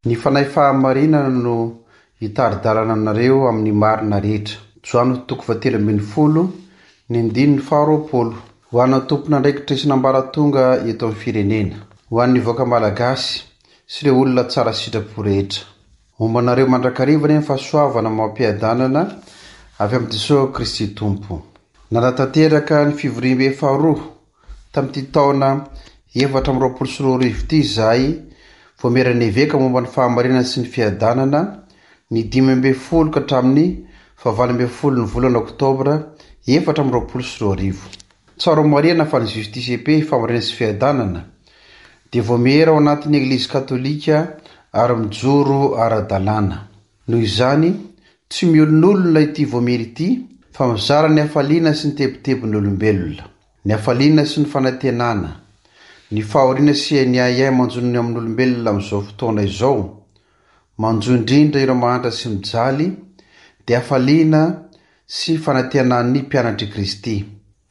Ny Fanahy Fahamarinana no hitari-dalana anareo amin'ny marina rehetra. Joany toko fahatelo ambin'ny folo, ny andininy faharoapolo. Ho an'ny tompon'andraikitra isan'ambaratonga eto amin'ny firenena. Ho an'ny vahoaka malagasy sy ireo olona tsara sitrapo rehetra. Homba anareo mandrakariva anie ny fahasoavana amam-piadanana avy amin'i Jesoa Kristy Tompo. Nanatanteraka ny fivoriambe faharoa Tamin'ity taona 2024 ity izahay Vaomieran'ny Eveka momba ny Fahamarinana sy ny Fiadanana, ny 15 ka hatramin'ny faha 18 ny volana oktobra 2024. Tsara homarihana fa ny Justice et Paix, Fahamarinana sy Fiadanana, dia vaomiera ao anatin'ny Eglizy Katolika ary mijoro ara-dalàna. Noho izany, tsy miolonolona ity vaomiera ity fa mizara ny hafaliana sy ny tebitebin'ny olombelona. Ny hafaliana sy ny fanantenana, ny fahoriana sy ny ahiahy manjo ny amin'olombelona amin'izao fotoana izao, manjo indrindra ireo mahantra sy mijaly, dia hafaliana sy fanantenan'ny mpianatr'i Kristy.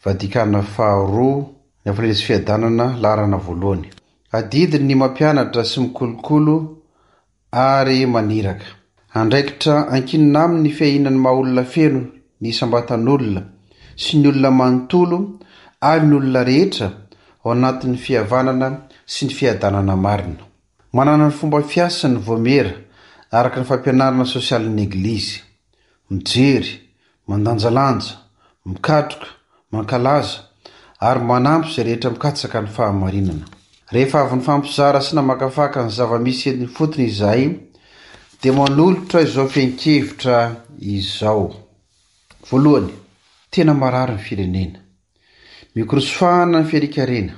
Vatikana faharoa, ny hafaliana sy fiadanana, laharana voalohany. Adidiny ny mampianatra sy mikolokolo ary maniraka. Andraikitra ankinina aminy ny fiahiana ny maha-olona feno ny isam-batan'olona sy ny olona manontolo ary ny olona rehetra ao anatin'ny fihavanana sy ny fiadanana marina. Manana ny fomba fiasany ny Vaomiera araka ny fampianarana sosialin'ny Eglizy. Mijery, mandanjalanja, mikatroka, mankalaza, ary manampy izay rehetra mikatsaka ny fahamarinana. Rehefa avy nifampizara sy namakafaka ny zava-misy eny ifotony izahay, dia manolotra izao fehin-kevitra izao. Voalohany, tena marary ny firenena. Mikorosofahana ny fiarikarena.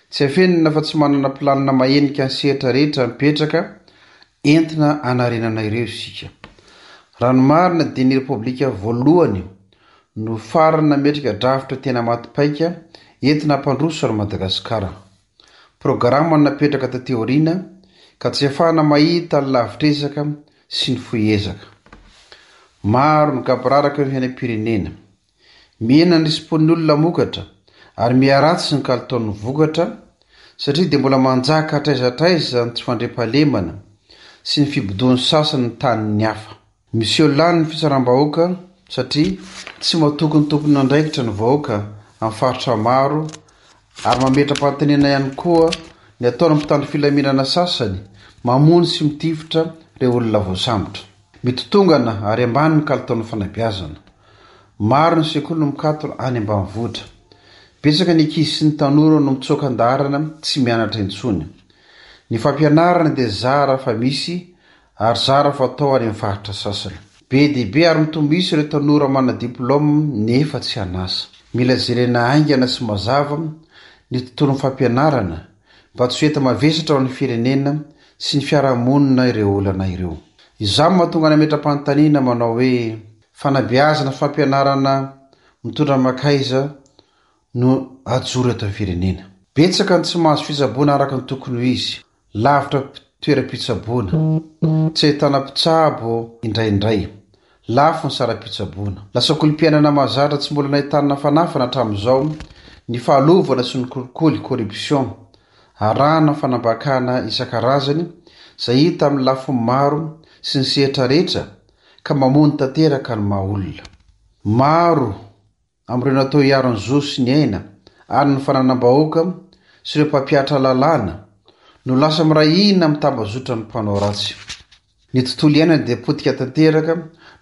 Tsy afenina fa tsy manana planina mahenika ny sehatra rehetra mipetraka entina hanarenana ireo isika. Raha ny marina dia ny Repoblika voalohany no farany nametraka drafitra tena maty paika entina hampandroso an'i Madagasikara. Programa no napetraka taty aoriana ka tsy ahafahana mahita ny lavitr'ezaka sy ny fohy ezaka. Maro ny gaboraraka eo amin'ny fiainam-pirenena. Mihena ny risi-pon'ny olona hamokatra ary miharatsy ny kalitaon'ny vokatra satria dia mbola manjaka hatraiza hatraiza ny tsy fandriampahalemana sy ny fibodoan'ny sasany ny tanin'ny hafa. Miseho lany ny fitsaram-bahoaka satria tsy matoky ny tompon'andraikitra ny vahoaka amin'ny faritra maro ary mametra-panontaniana ihany koa ny ataon'ny mpitandro filaminana sasany mamono sy mitifitra ireo olona voasambotra. Mitotongana ary ambany ny kalitaon'ny fanabeazana. Maro ny sekoly no mikatona any ambanivohitra. Betsaka ny ankizy sy ny tanora no mitsoaka an-daharana tsy mianatra intsony. Ny fampianarana dia zara fa misy ary zara fa atao any amin'ny faritra sasany. Be dia be ary mitombo isa ireo tanora manana diplaoma nefa tsy an'asa. Mila jerena haingana sy mazava ny tontolon'ny fampianarana mba tsy ho enta-mavesatra ho an'ny firenena sy ny fiarahamonina ireo olana ireo. Izany no mahatonga nametra-panontaniana manao hoe, Fanabeazana sy fampianarana mitondra mankaiza no ajoro eto amin'ny firenena? Betsaka ny tsy mahazo fitsaboana araka ny tokony ho izy, lavitra toeram-pitsaboana, tsy ahitana mpitsabo indraindray, lafo ny saram-pitsaboana. Lasa kolom-piainana mahazatra tsy mbola nahitana fanafana hatramin'izao ny fahalovana sy ny kolikoly, corruption, arahana fanambakana isan-karazany izay hita amin'ny lafiny maro sy ny sehatra rehetra ka mamono tanteraka ny maha olona. Maro amin'ireo natao hiaro ny zo sy ny aina ary ny fananam-bahoaka sy ireo mpampihatra lalàna no lasa miray hina amin'ny tambazotran'ny mpanao ratsy. Ny tontolo iainana dia potika tanteraka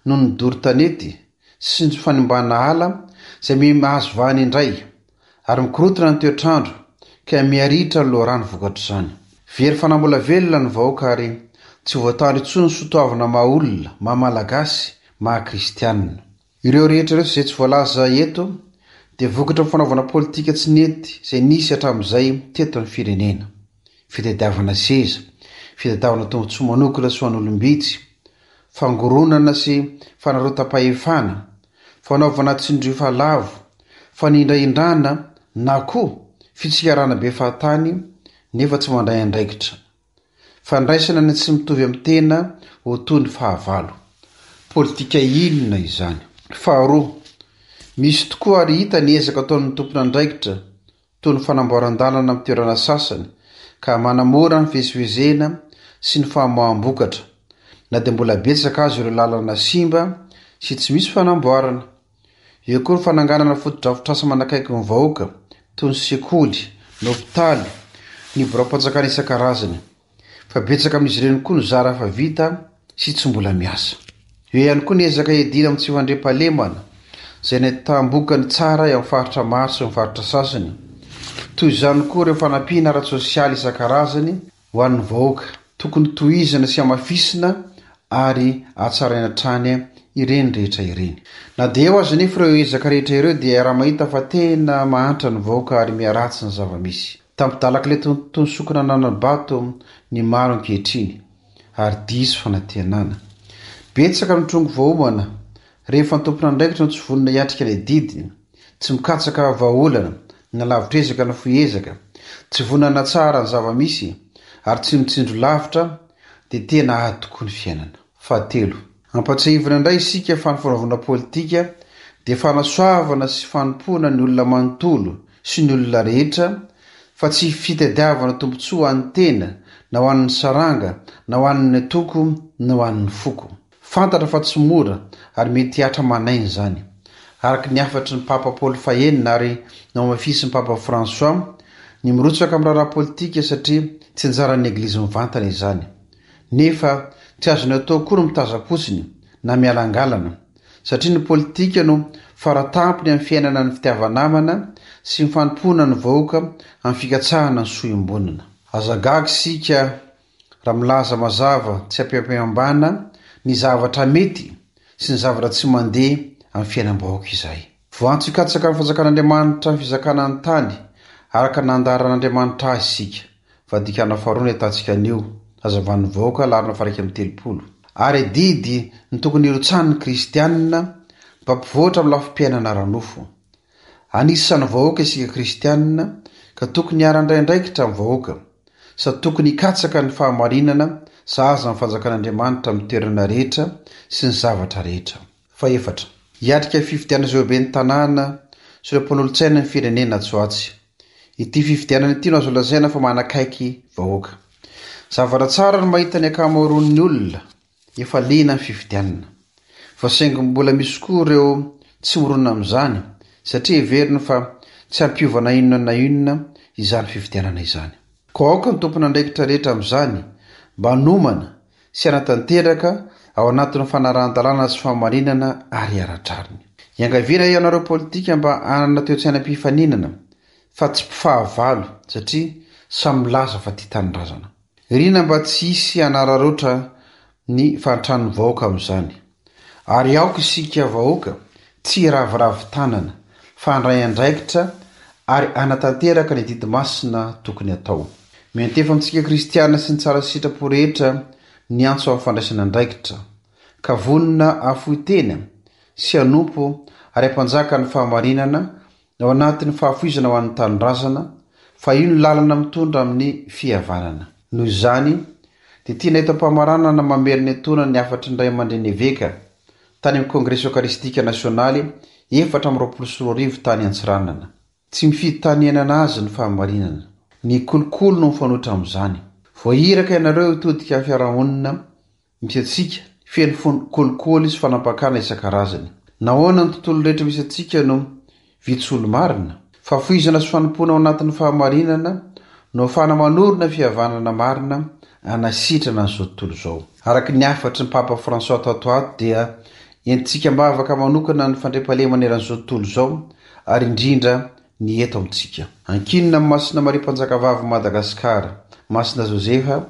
noho ny doro tanety sy ny fanimbana ala izay miha mahazo vahana indray ary mikorontana ny toetr'andro ka miha-ritra ny loharano vokatr'izany. Very fanambola velona ny vahoaka ary tsy voatandro intsony ny soatoavina maha olona, maha malagasy, maha kristianina. Ireo rehetra ireo sy izay tsy voalaza eto dia vokatry ny fanaovana politika tsy nety izay nisy hatramin'izay teto amin'ny firenena. Fitadiavana seza, fitadiavana tombontsoa manokana sy ho an'olom-bitsy, fangoronana sy fanarotam-pahefana, fanaovana tsindrio lavo, fanindrahindrana na koa fitsikarana be fahatany nefa tsy mandray andraikitra. Fandraisana ny tsy mitovy amin'ny tena ho toy ny fahavalo. Politika inona izany? Faharoa, misy tokoa ary hita ny ezaka ataon'ny tompon'andraikitra toy ny fanamboaran-dalana amin'ny toerana sasany ka manamora ny fivezivezena sy ny famoaham-bokatra, na dia mbola betsaka aza ireo lalana simba sy tsy misy fanamboarana. Eo koa ny fananganana fotodrafitrasa manakaiky ny vahoaka, toy ny sekoly, ny hopitaly, ny biraom-panjakana isan-karazany. Fa betsaka amin'izy ireny koa no zara fa vita sy tsy mbola miasa. Eo ihany koa ny ezaka hiadiana amin'ny tsy fandriampahalemana, izay nahitam-bokany tsara eo amin'ny faritra maro sy ny faritra sasany. Toy izany koa ireo fanampiana ara-tsosialy isan-karazany Ho an'ny vahoaka, tokony tohizana sy hamafisina ary hatsaraina hatrany ireny rehetra ireny. Na dia eo aza anefa ireo ezaka rehetra ireo dia iaraha-mahita fa tena mahantra ny vahoaka ary miharatsy ny zava-misy. Tampidalak'ilay tontolo sokina ananam-bato ny maro ankehitriny ary diso fanantenana. Betsaka ny trongy voaomana rehefa ny tompon'andraikitra no tsy vonona hiatrika ny adidiny. Tsy mikatsaka vahaolana, na lavitr'ezaka na fohy ezaka, tsy vonona hanatsara ny zava-misy ary tsy mitsinjo lavitra dia tena ady tokoa ny fiainana. Fahatelo, ampatsiahivina indray isika fa ny fanaovana politika dia fanasoavana sy fanompoana ny olona manontolo sy ny olona rehetra fa tsy fitadiavana tombontsoa ho an'ny tena na ho an'ny saranga na ho an'ny antoko na ho an'ny foko. Fantatra fa tsy mora ary mety hihatra aman'aina izany. Araka ny hafatry ny Papa Paoly fahenina ary nohamafisin'ny Papa François, ny mirotsaka amin'ny raharaha politika satria tsy anjaran'ny Eglizy mivantana izany. Nefa tsy azony atao koa ny mitazam-potsiny na mialangalana, satria ny politika no faratampony amin'ny fiainana ny fitiava-namana sy ny fanompoana ny vahoaka amin'ny fikatsahana ny soa iombonana. Aza gaga isika raha milaza mazava tsy ampiampihambana ny zavatra mety sy ny zavatra tsy mandeha amin'ny fiainam-bahoaka izahay. Voantso hikatsaka ny fanjakan'Andriamanitra ny fizakana ny tany araka ny nandaharan'Andriamanitra azy isika. Fandikana faharoa ny ahitantsika an'io, hazavan'ny vahoaka, laharana faha-31. Ary adidy ny tokony hirotsahan'ny kristianina mba hampivoatra amin'ny lafim-piainana ara-nofo. Anisan'ny vahoaka isika kristianina ka tokony hiara-handray andraikitra amin'ny vahoaka. Sady tokony hikatsaka ny fahamarinana sahaza ny fanjakan'Andriamanitra amin'ny toerana rehetra sy ny zavatra rehetra. Fahefatra, hiatrika fifidianana izay ho ben'ny tanàna sy ireo mpanolotsaina ny firenena atsy ho atsy. Ity fifidianana ity no azo lazaina fa manakaiky vahoaka. Zavatra tsara ny mahita ny ankamaroan'ny olona efa liana ny fifidianana. Fa saingy mbola misy koa ireo tsy mirona amin'izany satria heveriny fa tsy hampiova na inona na inona izany fifidianana izany. Koa aoka ny tompon'andraikitra rehetra amin'izany mba hanomana sy hanatanteraka ao anatin'ny fanarahan-dalàna sy fahamarinana ary ara-drariny. Iangaviana ianareo politika mba hanana toe-tsaina mpifaninana fa tsy mpifahavalo satria samy milaza fa tia tanindrazana. Irina mba tsy hisy hanararaotra ny fahantran'ny vahoaka amin'izany. Ary aoka isika vahoaka tsy hiraviravy tanana fa handray andraikitra ary hanatanteraka ny adidy masina tokony hatao. Miantefa amintsika kristiana sy ny tsara sitrapo rehetra ny antso amin'ny fandraisana andraikitra, ka vonona hahafoy tena sy hanompo ary hampanjaka ny fahamarinana Ao anatin'ny fahafoizana ho an'ny tanindrazana, fa io no lalana mitondra amin'ny fihavanana. Noho izany, dia tiana eto am-pamaranana mamerina etoana ny hafatry ny Ray aman-dreny Eveka tany amin'ny Kongresy Eokaristika Nasionaly 2024 tany Antsiranana. Tsy mifidy tany iainana azy ny fahamarinana. Ny kolikoly no mifanohitra amin'izany. Voahiraka ianareo hitodika amin'ny fiarahamonina misy antsika, feno fon kolikoly sy fanampakana isan-karazany. Nahoana ny tontolo rehetra misy antsika no vitsy olo-marina? Fahafoizana sy fanompoana ao anatin'ny fahamarinana no ahafahana manorina fihavanana marina hanasitrana an'izao tontolo izao. Araka ny hafatry ny Papa François tato ato dia entintsika am-bavaka manokana ny fandriampahalemana eran'izao tontolo izao ary indrindra ny eto amintsika. Ankinina amin'i Masina Maria Mpanjakavavin'i Madagasikara, Masina Josefa,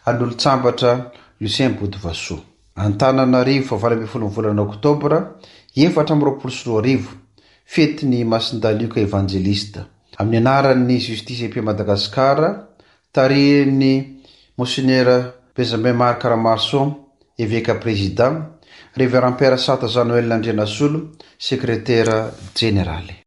ary ny olon-tsambatra Lucien Botovasoa. Antananarivo, faha 18 ny volana oktobra 2024, fetin'i Masindahy Lioka Evanjelista. Amin'ny anaran'ny Justice et Paix Madagascar, tarihin'ny Monsenera Benjamin Marc Ramaroson, Eveka Prezida, Révérend Père Sata Jean Noël Andrianasolo, Sekretera Jeneraly.